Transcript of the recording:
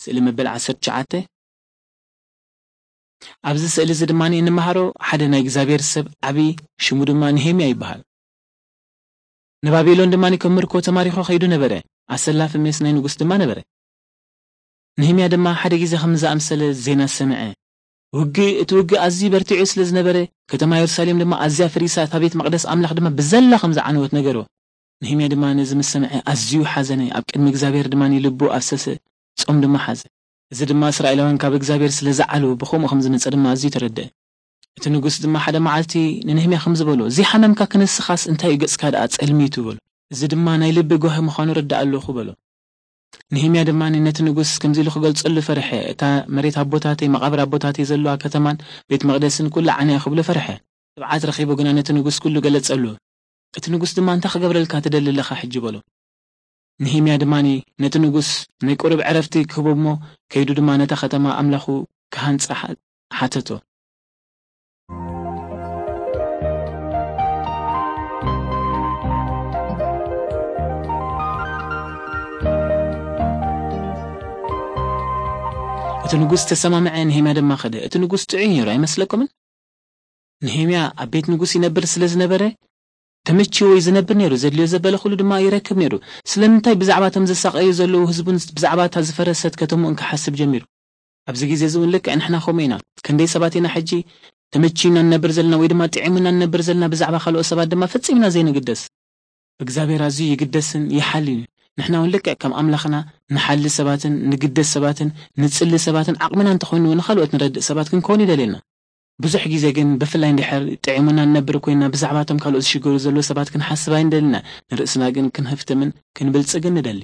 ስእሊ መበል ዓሰርተ ትሽዓተ። ኣብዚ ስእሊ እዚ ድማ እንመሃሮ ሓደ ናይ እግዚኣብሔር ሰብ ዓቢ፣ ሽሙ ድማ ነሄምያ ይበሃል። ንባቢሎን ድማ ከም ምርኮ ተማሪኾ ከይዱ ነበረ። ኣሰላፊ ሜስ ናይ ንጉስ ድማ ነበረ። ነህምያ ድማ ሓደ ግዜ ከም ዝኣምሰለ ዜና ሰምዐ። ውግእ፣ እቲ ውግእ ኣዝዩ በርቲዑ ስለ ዝነበረ፣ ከተማ የሩሳሌም ድማ ኣዝያ ፈሪሳ፣ እታ ቤት መቕደስ ኣምላኽ ድማ ብዘላ ከም ዝዓነወት ነገሮ። ነህምያ ድማ ነዚ ምስ ሰምዐ ኣዝዩ ሓዘነ፣ ኣብ ቅድሚ እግዚኣብሔር ድማ ልቡ ኣፍሰሰ፣ ጾም ድማ ሓዘ። እዚ ድማ እስራኤላውያን ካብ እግዚኣብሔር ስለ ዝዓለዉ ብኸምኡ ከም ዝመጸ ድማ ኣዝዩ ተረድአ። እቲ ንጉስ ድማ ሓደ መዓልቲ ንነህምያ ከም ዝበሎ፣ "ዘይሓመምካ ክንስኻስ እንታይ እዩ ገጽካ ደኣ ጸልሚቱ?" በሎ። እዚ ድማ ናይ ልቢ ጓሂ ምዃኑ ረዳእ ኣለኹ በሎ። ነህምያ ድማ ነቲ ንጉስ ከምዚ ኢሉ ክገልጸሉ ፈርሐ፣ "እታ መሬት ኣቦታተይ፣ መቓብር ኣቦታተይ ዘለዋ ከተማን ቤት መቕደስን ኩላ ዓንያ" ክብሎ ፈርሐ። ትብዓት ረኺቡ ግና ነቲ ንጉስ ኩሉ ገለጸሉ። እቲ ንጉስ ድማ፣ "እንታይ ክገብረልካ ትደሊ ኣለኻ ሕጂ?" በሎ። ነህምያ ድማ ነቲ ንጉስ ናይ ቁሩብ ዕረፍቲ ክህቦ እሞ፣ ከይዱ ድማ ነታ ከተማ ኣምላኹ ክሃንጻ ሓ-፣ ሓተቶ። እቲ ንጉስ ተሰማምዐ፣ ነህምያ ድማ ከደ። እቲ ንጉስ ጥዑይ ነይሩ ኣይመስለኩምን? ነህምያ ኣብ ቤት ንጉስ ይነብር ስለ ዝነበረ፣ ተመችዎ እዩ ዝነብር ነይሩ። ዘድልዮ ዘበለ ኩሉ ድማ ይረክብ ነይሩ። ስለምንታይ ብዛዕባ እቶም ዘሳቐዩ ዘለዉ ህዝቡን ብዛዕባ እታ ዝፈረሰት ከተምኡን ክሓስብ ጀሚሩ? ኣብዚ ግዜ እዚ እውን ልክዕ ንሕና ከምኡ ኢና። ክንደይ ሰባት ኢና ሕጂ ተመችዩና ንነብር ዘለና ወይ ድማ ጥዒሙና ንነብር ዘለና፣ ብዛዕባ ካልኦት ሰባት ድማ ፈጺምና ዘይንግደስ። ብእግዚኣብሔር ኣዝዩ ይግደስን ይሓልን እዩ። ንሕና እውን ልክዕ ከም ኣምላኽና ንሓሊ ሰባትን ንግደስ ሰባትን ንጽሊ ሰባትን ዓቕምና እንተኾይኑ እውን ንኻልኦት ንረድእ ሰባት ክንከውን ይደልየና። ብዙሕ ግዜ ግን ብፍላይ እንድሕር ጥዒሙና ንነብር ኮይንና ብዛዕባ እቶም ካልኦት ዝሽገሩ ዘለዉ ሰባት ክንሓስብ ኣይንደልና። ንርእስና ግን ክንህፍትምን ክንብልጽግን ንደሊ።